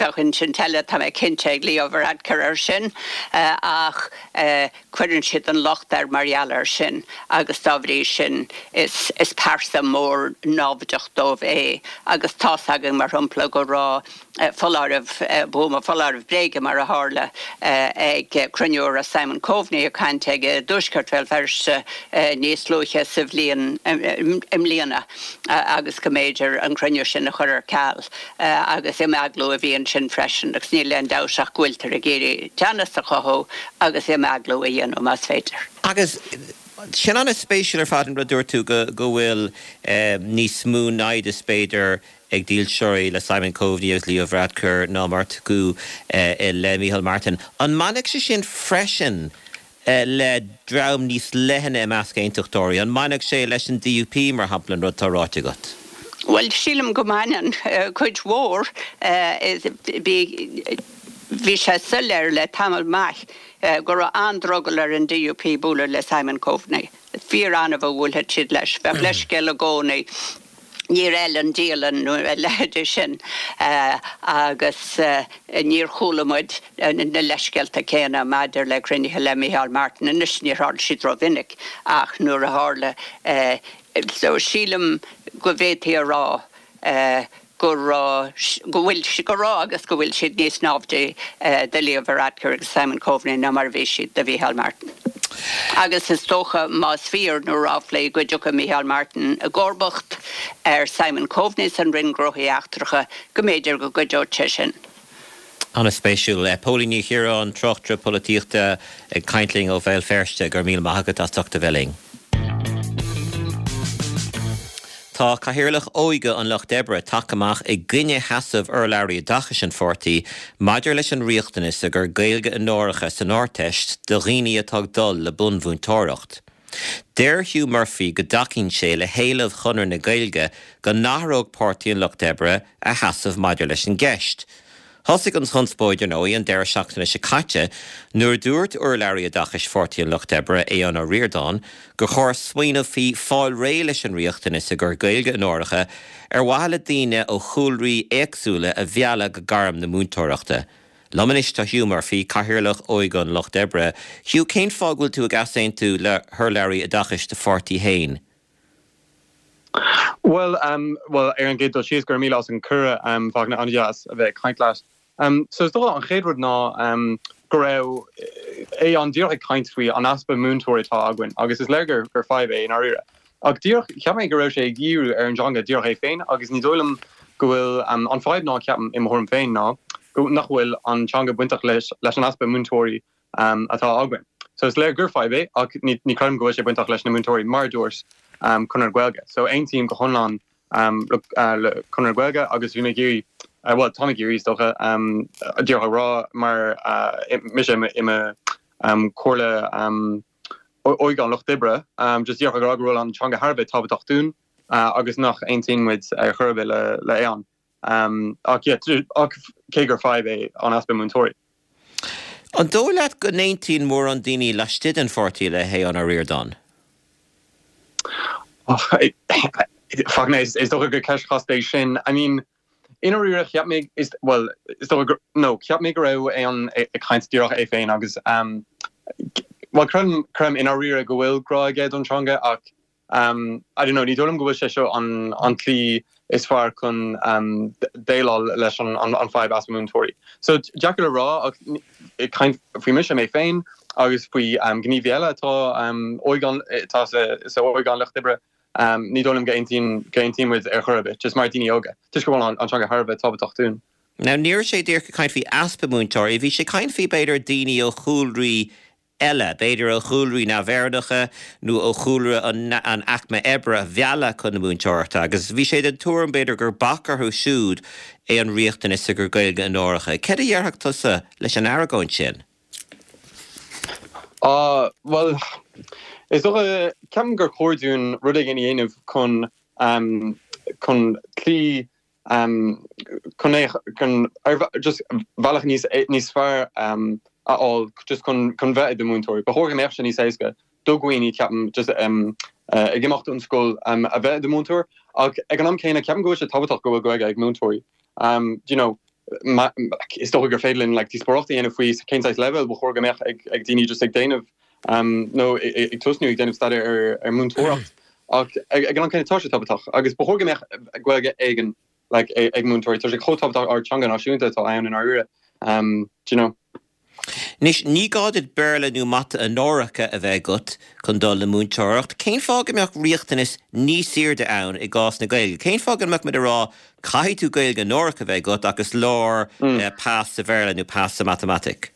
bheadh insint eile tá mé cinnte ag Leo Varadkar ar sin ach cuireann siad an locht air mar gheall air sin agus dá bhrí sin is is pearsa mór námhaideach dóibh é agus tá's againn mar shampla go raibh foláireamh buama foláireamh bréige mar a tharla ag cruinniú a raibh Simon Coveney ag caint ag i dtuaisceart Bhéal Feirste níos luaithe sa bhliain i mbliana agus go mb'fhéidir an cruinniú sin a chur ar ceal agus imeaglú a bhí ansin freisin agus níl aon dabht ach go bhfuiltear ag iarraidh teannas a chothú agus imeaglú a dhéanamh más féidir. Agus sin an-spéisiúil ar fad an rud a dúirt tú go go bhfuil níos mó naimhdeas b'fhéidir ag dílseoirí le Simon Coveney agus Leo Varadkar ná mar atá le Micheál Martin. An mbainfeadh sé sin freisin le dream níos leithne i measc aontachtóirí? An mbainfeadh sé leis an DUP mar shampla an rud atá ráite agat? Bhuel, sílim go mbaineann cuid mhór. Bhí sé soiléir le tamall maith go raibh an-drogall ar an DUP bualadh le Simon Coveney. Fíor-annamh a bhuailfeadh siad leis. Bheadh leithscéal i gcónaí. Níor fheil an dialann nó a leithéid sin agus níor chuala muid na leithscéalta céanna maidir le cruinnithe le Micheál Martin. Anois níor tharla siad rómhinic ach nuair a tharla so sílim go bhféadfaí a rá go raibh, go bhfuil, go raibh agus go bhfuil siad níos náimhde do Leo Varadkar agus Simon Coveney ná mar a bhí siad do Mhicheál Martin. Agus is dócha, más fíor na ráflaí, go dtiocfaidh Micheál Martin i gcomharbacht ar Simon Coveney san Roinn Gnóthaí Eachtracha, go mb'fhéidir go gcuideodh sé sin. An-spéisiúil. Póilín Ní Chiaráin, tráchtaire polaitíochta ag caint linn ó Bhéal Feirste, go raibh míle maith agat as ucht a bheith linn. Tá Cathaoirleach Óige an Lucht Oibre tagtha amach i gcoinne sheasamh urlabhraí oideachais an pháirtí maidir leis an riachtanas i gcur Gaeilge onóracha san Ardteist do dhaoine atá ag dul le bunmhúinteoireacht. Deir Hugh Murphy go dtacaíonn sé le héileamh Chonradh na Gaeilge go n-athródh Páirtí an Lucht Oibre a sheasamh maidir leis an gceist. Thosaigh an chonspóid, ar ndóigh, an deireadh seachtaine seo caite nuair a dúirt urlabhraí oideachais Pháirtí an Lucht Oibre, Aodhán Ó Ríordáin, gur chóir smaoineamh faoi fáil réidh leis an riachtanas i gcur Gaeilge onóracha ar mhaithe le daoine ó chúlraí éagsúla a mhealladh go gairm na múinteoireachta. Liom anois tá Hugh Murphy, Cathaoirleach Óige an Lucht Oibre. Hugh, cén fáth go bhfuil tú ag easaontú le hurlabhraí oideachais do pháirtí féin? Bhuel, bhuel, ar an gcéad dul síos, go raibh míle as an cuireadh, Fachtna, an-deas a bheith ag caint leat. So is dócha an chéad rud ná go raibh Aodhán díreach ag caint faoi an easpa múinteoirí atá againn agus is léir gur gur fadhb é i ndáiríre. Ach díreach, cheap mé go raibh sé ag díriú ar an dteanga díreach é féin agus ní dóigh liom go bhfuil an fadhb ná ceapaim i mo thuairim féin ná go nach bhfuil an teanga bainteach leis leis an easpa múinteoirí atá againn. So is léir gur fadhb é ach ní ní creidim go bhfuil sé bainteach leis na múinteoirí mar a dúirt Conradh na Gaeilge. So aontaím go hiomlán le le Conradh na Gaeilge agus bhí mé ag iarraidh, bhuel táim ag iarraidh is dócha, díreach a rá mar mise i mo comhairle óige an Lucht Oibre, just díreach ag rá go bhfuil an teanga thar a bheith tábhachtach dúinn agus nach aontaíonn muid ar chor ar bith le le Aodhán. Ach yeah, ach cé gur fadhb é an easpa múinteoirí. An dóigh leat go n-aontaíonn mórán daoine laistigh den pháirtí le hAodhán Ó Ríordáin? Fachtna, is dócha gur ceist chasta é sin. I mean, i ndáiríre, cheap mé, is, bhuel, is dócha gur, no, cheap mé go raibh Aodhán ag caint díreach é féin agus, bhuel, creidim, creidim i ndáiríre go bhfuil grá aige don teanga ach, I don't know, ní dóigh liom go bhfuil sé seo an an tslí is fearr chun déileáil leis an an fadhb easpa múinteoirí. So deacair le rá ach ag caint faoi mise mé féin agus faoi gníomhaí eile atá óige an atá sa sa óige an lucht oibre, ní dóigh liom go aontaíonn go aontaíonn muid ar chor ar bith, just mar daoine óga, toisc go bhfuil an an teanga thar a bheith tábhachtach dúinn. Now ní raibh sé díreach ag caint faoi easpa múinteoirí, bhí sé ag caint faoi b'fhéidir daoine ó chúlraí eile, b'fhéidir ó chúlraí neamh-Éireannacha nó ó chúlra an aicme oibre a mhealladh chun na múinteoireachta agus bhí sé den tuairim, b'fhéidir, gur bac orthu siúd é an riachtanas i gcur Gaeilge onóracha. Céard a dhéarfadh tusa leis an argóint sin? Á, bhuel, is dócha, ceapaim gur chóir dúinn rud éigin a dhéanamh chun, chun cloí chun é chun just bealach níos níos fearr a fháil just chun chun bheith i do mhúinteoir. Ba chóir go mbeadh sé níos éasca do dhaoine ceapaim just ag imeacht ón scoil a bheith i do mhúinteoir ach ag an am céanna ceapaim go bhfuil sé tábhachtach go bhfuil Gaeilge ag múinteoirí. Um, you know, is dócha gur féidir linn like, díospóireacht a dhéanamh faoi cén saghas leibhéal ba chóir go mbeadh ag, ag daoine just ag déanamh um, nó ag tosnú ag déanamh staidéar ar, ar múinteoireacht. Ach ag, ag an am céanna tá sé tábhachtach agus ba chóir go mbeadh Gaeilge éigin like, ag múinteoirí Tá sé chomh tábhachtach ár teanga náisiúnta atá ann in áirithe. Um, do you know. Anois ní gá duit Béarla nó Mata onóracha a bheith agat chun dul le múinteoireacht. Cén fáth go mbeadh riachtanas níos airde ann i gcás na Gaeilge? Cén fáth go mbeadh muid ag rá caithfidh tú Gaeilge onórach a bheith agat agus leor mm. pas sa Bhéarla nó pas sa matamaitic?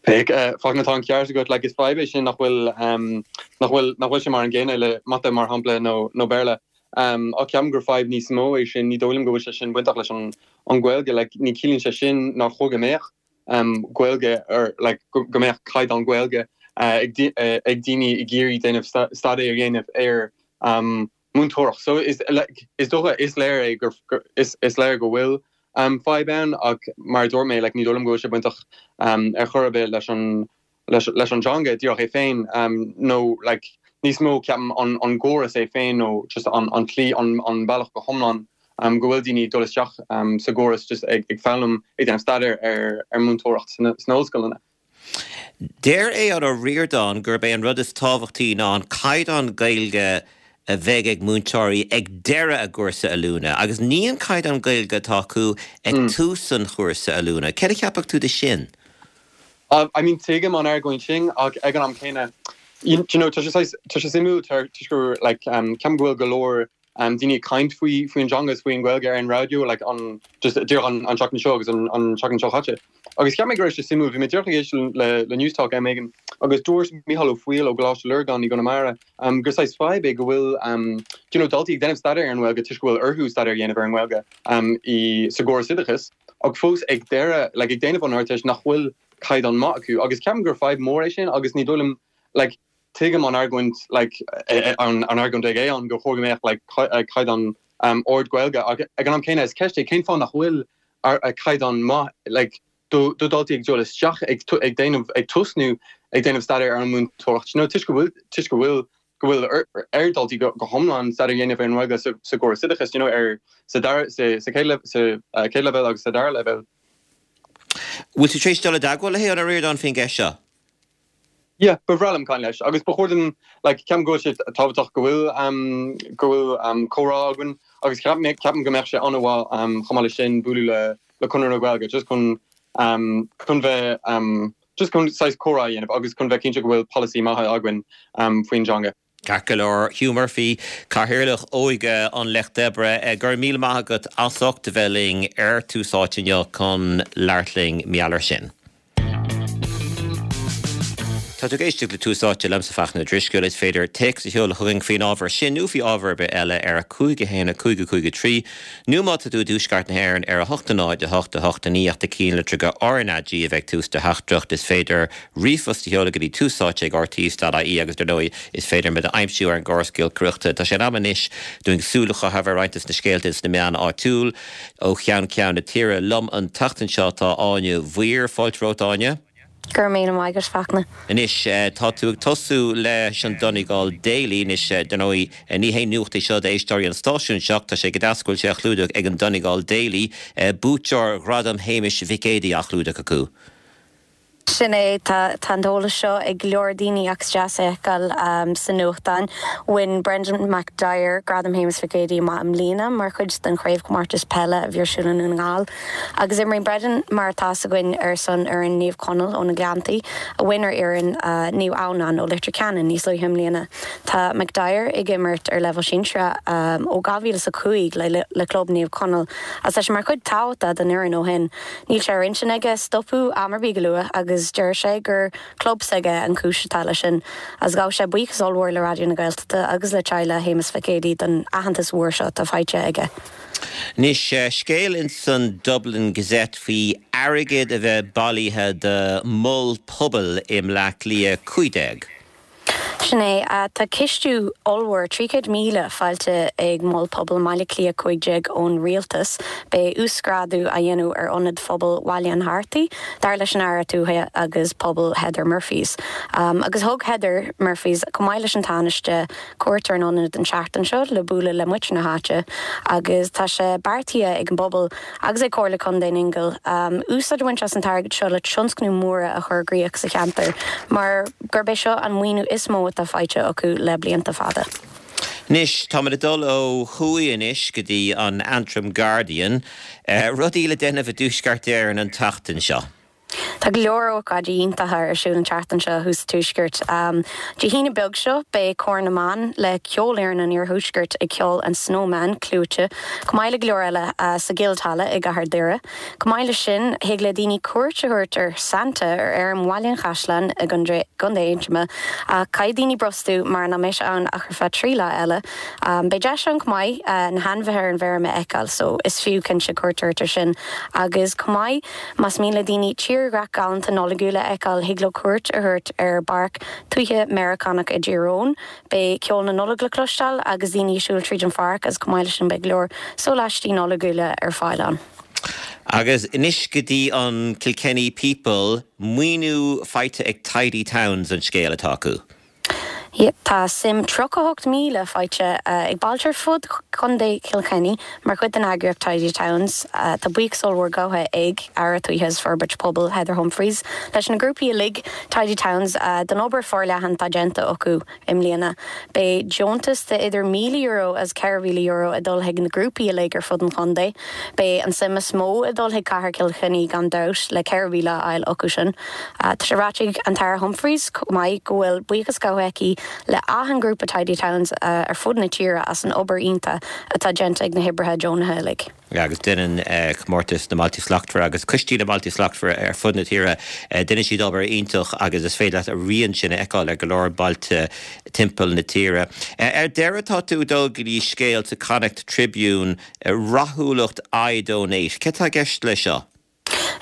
Fachtna tá an ceart agat like, is fadhb é sin nach bhfuil um, nach bhfuil nach bhfuil sé mar an gcéanna le mata mar shampla nó nó Béarla. Um, ach ceapaim gur fadhb níos mó é sin ní dóigh liom go bhfuil sé sin bainteach leis an an Ghaeilge like, ní chiallaíonn sé sin nach chóir go mbeadh um, Gaeilge ar like, go mbeadh caighdeán Gaeilge uh, ag, uh, ag daoine ag iarraidh déanamh staidéar a dhéanamh ar um, múinteoireacht. So is, like, is dócha is léir é gur, gur, is, is léir go bhfuil um, fadhb ann ach mar dúirt mé like, ní dóigh liom go bhfuil sé bainteach um, ar chor ar bith leis an leis, leis an teanga díreach é féin um, nó like, níos mó ceapaim an, an gcóras é féin nó just an, an tslí an, an bealach go hiomlán um, go bhfuil daoine dul isteach um, sa gcóras just ag, ag foghlaim ag déanamh staidéar ar, ar múinteoireacht sna, sna ollscoileanna. Deir Aodhán Ó Ríordáin gurb é an rud is tábhachtaí ná an caighdeán Gaeilge a bheidh ag múinteoirí ag deireadh a gcúrsa oiliúna, agus ní an caighdeán Gaeilge atá acu ag mm. tús an chúrsa oiliúna. Céard a cheapfadh tú de sin? Uh, I mean tuigim an argóint sin ach ag an am céanna you know tá sé tá sé suimiúil gur like um, ceapaim go bhfuil go leor um, daoine ag caint faoi faoin teanga is faoin Ghaeilge ar an raidió like, an just díreach an, an seachtain seo agus an, an seachtain seo caite. Agus cheap mé go raibh sé suimiúil bhí mé díreach ag éisteacht le le Newstalk am éigin agus dúirt Micheál Ó Foighil ó Choláiste Lurgan i gConamara um, gur saghas fadhb é go bhfuil um, you know, daltaí ag déanamh staidéar ar an nGaeilge toisc go bhfuil orthu staidéar a dhéanamh ar an nGaeilge um, i sa gcóras oideachais ach fós ag deireadh like, ag déanamh an Ardteist nach bhfuil caighdeán maith acu agus ceapaim gur fadhb mór é sin agus ní dóigh liom like, tuigim an argóint like, an, an argóint ag é an go chóir go mbeadh like, caighdeán um, ard Gaeilge ag an am céanna is ceist é cén fáth nach bhfuil a caighdeán maith like, do do daltaí ag dul isteach ag ag déanamh ag tosnú ag déanamh staidéar ar an múinteoireacht. No toisc go bhfuil toisc go bhfuil go bhfuil ar daltaí go hiomlán staidéar a dhéanamh ar an nGaeilge sa, sa gcóras oideachais you know, ar sa dar sa, sa chéad sa uh, chéad leibhéal agus sa dara leibhéal. Bhfuil tú tar éis dul i dteagmháil le hAodhán Ó Ríordáin faoin gceist seo? Yeah, ba bhreá liom caint leis agus ba chóir dom like, ceapaim go bhfuil sé tábhachtach go bhfuil um, go bhfuil um, comhrá againn agus ceapaim go mbeadh sé an-mhaith um, chomh maith leis sin bualadh le le Conradh na Gaeilge just chun um, chun bheith um, just chun saghas comhrá a dhéanamh agus chun bheith cinnte go bhfuil polasaí maith againn um, faoin teanga. Ceart go leor Hugh Murphy Cathaoirleach Óige an Lucht Oibre go raibh míle maith agat as ucht a bheith linn ar Tús Áite inniu chun labhairt linn mar gheall air sin. Tá tú ag éisteacht le Tús Áite liomsa Fachtna Ó Drisceoil is féidir téacs a sheoladh chugainn faoin ábhar sin nó faoi ábhar ar bith eile ar a cúig a haon a cúig a cúig a trí, nó má tá tú i dtuaisceart na hÉireann ar a hocht a náid a hocht a hocht a naoi ach do chinnlitreacha RnaG a bheith ag tús do theachtaireacht is féidir ríomhphost a sheoladh go dtí túsáite ag rte.ie agus dar ndóigh is féidir muid a aimsiú ar an gcóras giolcaireachta. Tá sé in am anois dúinn súil a chaitheamh ar roinnt de na scéalta sna meáin áitiúil ó cheann ceann na tíre liom an tseachtain seo tá Áine Mhaoir fáilte romhat Áine. Gur mé agus Fachtna. Anois tá tú ag tosú leis an Donegal Daily anois dar ndóigh ní haon nuacht é seo d'éisteoirí an stáisiúin seo tá sé go deas go bhfuil sé á chlúdach ag an Donegal Daily buaiteoir Ghradam Shéamais Mhic Éadaigh á chlúdach acu. Sin é tá an t-eolas seo ag go leor daoine ach deas é a fheiceáil um, sa nuachtán. Bhain Brendan McDyer Gradam Shéamais Mhic Éadaigh amach i mbliana mar chuid den chraobhchomórtas peile a bhí ar siúl i nDún na nGall. Agus imríonn Brendan mar atá a fhios againn ar son fhoireann Naomh Conaill ó na Gleanntaí a bhain ar fhoireann uh, Naomh Adhamhnáin ó Leitir Ceanainn níos luaithe i mbliana. Tá McDyer ag imirt ar leibhéal sinsear um, ó dhá mhíle a cúig le, le, le club Naomh Conaill. Agus tá sé mar chuid tábhachtach den fhoireann ó shin. Níl sé ar intinn aige stopadh am ar bith go luath agus agus deir sé gur club s'aige an chúis atá leis sin agus ghabh sé buíochas ollmhór le Raidió na Gaeltachta agus le teaghlach Shéamais Mhic Éadaigh don aitheantas mhór seo atá faighte aige. Anois scéal in san Dublin Gazette faoi airgead a bheith bailithe do mhol pobail i mBleá Cliath cúig déag. Sin é, tá cistiú ollmhór trí chéad míle faighte ag Mol Pobail Bhaile Átha Cliath cúig déag ón rialtas. Beidh uasghrádú á dhéanamh ar Ionad Phobail Bhaile an Hartaigh, dar leis an Aire Tuaithe agus Pobail Heather Murphys. Agus thug Heather Murphys, chomh maith leis an Tánaiste, cuairt ar an ionad an tseachtain seo le bualadh le muintir na háite agus tá sé beartaithe ag an bpobal agus ag Comhairle Contae an Ingle úsáid a bhaint as an t-airgead seo le tionscnamh móra a chur i gcrích sa cheantar mar gurb é seo an maoiniú is mó atá faighte acu le blianta fada. Anois, táimid ag dul ó thuaidh anois go dtí an Antrim Guardian. Rudaí le déanamh i dTuaisceart Éireann an tseachtain seo. Tá go leor ócáidí iontacha ar siúl an tseachtain seo thuas sa Tuaisceart. Dé hAoine beag seo beidh Cór na mBan le Ceolfhoireann an Iarthuaiscirt ag ceol an Snowman clúite, chomh maith le go leor eile sa Guildhalla i gCathair Doire. Chomh maith leis sin, thig le daoine cuairt a thabhairt ar Santa ar fheirm Bhaile an Chaisleáin i gContae Aontroma, ach caithfidh daoine brostú mar nach mbeidh sé ann ach ar feadh trí lá eile. Beidh deis ann chomh maith na hainmhithe ar an bhfeirm a fheiceáil, so is fiú cinnte cuairt a thabhairt air sin. Agus chomh maith, más mian le daoine tírdhreach galánta Nollaigiúil a fheiceáil, thig leo cuairt a thabhairt ar Pháirc Tuaithe Meiriceánach i dTír Eoghain. Beidh ceol na Nollag le cloisteáil agus daoine ag siúl tríd an pháirc agus chomh maith leis sin beidh go leor sóláistí Nollaigiúla ar fáil ann. Agus anois go dtí an Kilkenny People, maoiniú faighte ag Tidy Towns an scéal atá acu. Tá suim tríocha a hocht míle faighte ag bailte ar fud Chontae Chill Chainnigh mar chuid den eagraíocht Tidy Towns. Tá buíochas ollmhór gabhtha ag Aire Tuaithe is Forbairt Pobail Heather Humphreys leis na grúpaí uilig Tidy Towns don obair forleathan atá déanta acu i mbliana. Beidh deontas de idir míle euro agus ceithre mhíle euro ag dul chuig na grúpaí uilig ar fud an chontae. Beidh an suim is mó ag dul chuig Cathair Chill Chainnigh gan dabht le ceithre mhíle a fháil acu sin. Tá sé ráite ag an tAire Humphreys chomh maith go bhfuil buíochas gabhtha aici le achan grúpa Tidy Towns ar fud na tíre as an obair iontach atá déanta ag na hoibrithe deonacha uilig. Agus déanann Comórtas na mBailte Slachtmhara agus Coistí na mBailte Slachtmhara ar fud na tíre, déanann siad obair iontach agus is féidir leat a rian sin a fheiceáil ar go leor bailte timpeall na tíre. Ar deireadh tá tú ag dul go dtí scéal sa Connacht Tribune, rathúlacht iDonate. Céard atá i gceist leis seo?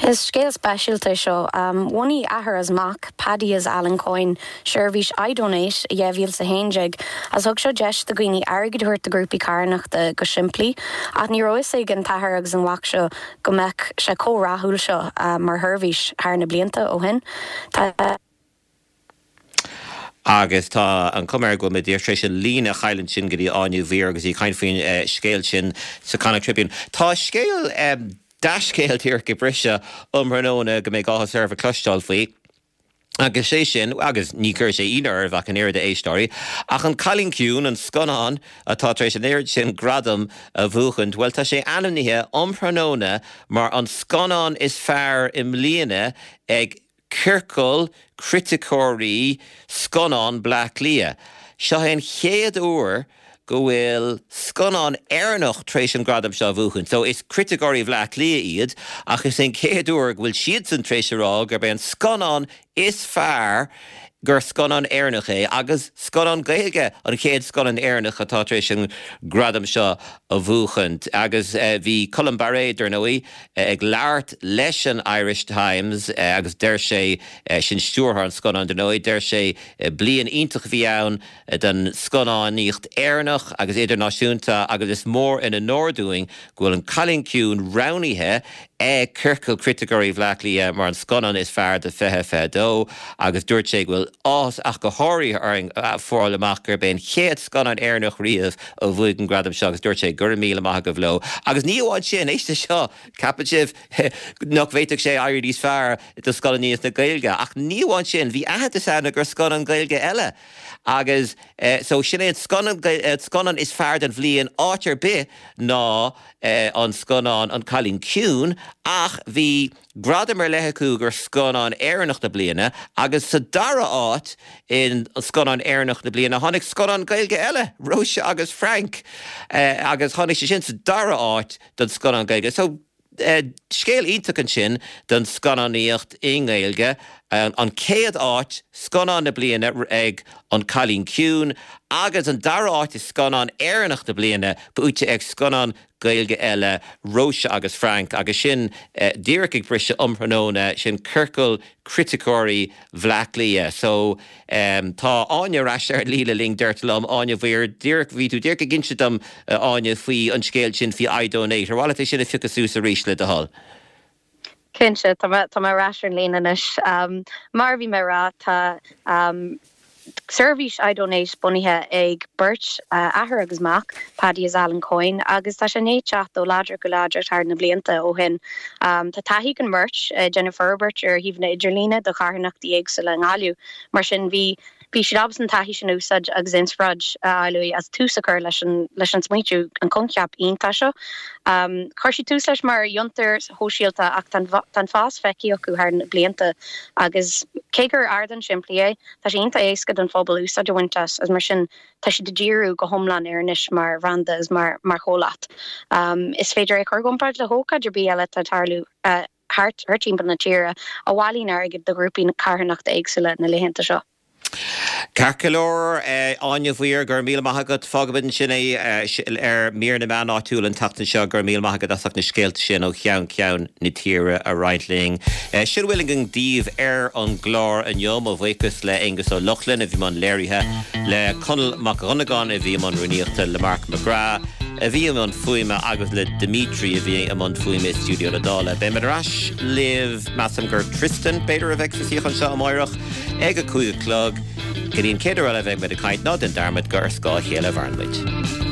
Is scéal speisialta é seo. Bhunaigh athair is mac, Paddy is Alan Coyne, seirbhís iDonate i dhá mhíle is a haon déag agus thug seo deis do dhaoine airgead a thabhairt do ghrúpaí carthanachta go simplí. Ach ní raibh fhios ag an t-athair agus an mhac seo go mbeadh sé chomh rathúil seo mar sheirbhís thar na blianta ó shin. Tá. Agus tá an chuma air go bhfuil muid tar éis an líne a chailliúint sin go dtí Áine Ní Mhaoir agus í ag caint faoin scéal sin sa Connacht Tribune. Tá scéal, dea-scéal díreach ag briseadh um thráthnóna go mbeidh áthas oraibh a chloisteáil faoi. Agus sé sin, agus ní chuirfidh sé ionadh oraibh ach an oiread a éisteoirí, ach An Cailín Ciúin, an scannán atá tar éis an oiread sin gradam a bhuachaint, bhuel tá sé ainmnithe um thráthnóna mar an scannán is fearr i mbliana ag Ciorcal Criticeoirí Scannán Bleá Cliath. Seo é an chéad uair go bhfuil scannán Éireannach tar éis an gradam seo a bhuachan. So is criticeoirí Bhleá Cliath iad ach is é an chéad uair go bhfuil siadsan tar éis a rá gurb é an scannán is fearr gur scannán Éireannach é agus scannán Gaeilge an chéad scannán Éireannach atá tar éis an gradam seo a bhuachaint. Agus bhí Colm Bairéad, dar ndóigh, ag labhairt leis an Irish Times agus deir sé, sin stiúrthóir an scannáin, dar ndóigh, deir sé, bliain iontach a bhí ann don scannánaíocht Éireannach agus idirnáisiúnta agus is mór an onóir dúinn go bhfuil An Cailín Ciúin roghnaithe ag Ciorcal Criticeoirí Bhleá Cliath mar an scannán is fearr de fiche fiche dó agus dúirt sé go bhfuil áthas ach go háirithe orainn fáil amach gurb é an chéad scannán Éireannach riamh a bhuaigh an gradam seo agus dúirt sé go raibh míle maith agaibh leo. Agus ní amháin sin, éist leis seo, ceapann sibh nach bhféadfadh sé éirí níos fearr do scannánaíocht na Gaeilge ach ní amháin sin, bhí aitheantas ann do scannán Gaeilge eile agus so sin é an scannán scannán is fearr den bhliain áit ar bith ná an scannán An Cailín Ciúin ach bhí gradam ar leith acu gur scannán Éireannach na bliana agus sa dara háit in scannán Éireannach na bliana tháinig scannán Gaeilge eile, Róise agus Frank agus tháinig sé sin sa dara háit don scannán Gaeilge. So scéal iontach ansin don scannánaíocht i nGaeilge An chéad áit, Scannán na Bliana ag An Cailín Ciúin agus an dara áit i Scannán Éireannach na Bliana buaite ag scannán Gaeilge eile, Róise agus Frank agus sin díreach ag briseadh um thráthnóna, sin ciorcal criticeoirí Bhleá Cliath. So tá Áine ar ais ar an líne linn, deirtear liom. Áine Mhaoir, díreach, bhí tú díreach ag inse dom, Áine, faoi an scéal sin faoi iDonate. Ar mhaith leat é sin a phiocadh suas arís le do thoil? Cinnte, tá mé tá mé ar ais ar an líne anois. Mar a bhí mé ag rá, tá seirbhís iDonate bunaithe ag beirt, athair agus mac, Paddy is Alan Coyne, agus tá sé i ndiaidh teacht ó láidir go láidir thar na blianta ó shin. Tá taithí ag an mbeirt ag déanamh forbairt ar shuíomhanna idirlíne do charthanachtaí éagsúla i nGaillimh. Mar sin, bhí Bhí siad ábalta an taithí sin a úsáid agus inspioráid a fháil uaidh as tús a chur leis an leis an smaointiú, an coincheap iontach seo. Chuir siad tús leis mar fhiontar shóisialta ach tá an fás feicthe acu thar na blianta agus cé gur ardán simplí é, tá sé iontach éasca don phobal úsáid a bhaint as agus mar sin tá siad ag díriú go hiomlán air anois mar bhranda agus mar mar chomhlacht. Is féidir é a chur i gcomparáid le hócáid ar bith eile atá ag tarlú thart timpeall na tíre a bhailíonn airgead do ghrúpaí carthanachta éagsúla na laethanta seo. Ceart go leor, Áine Mhaoir, go raibh míle maith agat. Fágfaimid ansin é ar mír na meán áitiúil an tseachtain seo. Go raibh míle maith agat as ucht na scéalta sin ó cheann ceann na tíre a roinnt linn. Sin a bhfuil againn daoibh ar an gclár inniu. Mo bhuíochas le Aonghus Ó Lochlainn a bhí i mbun léirithe, le Conall Mac Dhonnagáin a bhí i mbun rúnaíochta, le Marc McGrath a bhí i mbun fuaime agus le Dimitri a bhí i mbun fuaime i stiúideo na Dála. Beimid ar ais libh, measaim gur Tristan, b'fhéidir, a bheidh sa suíochán seo amáireach ag a cúig a chlog. Go dtí an chéad uair eile a bheidh muid ag caint, ná déan dearmad gur ar scáth a chéile a mhaireann muid.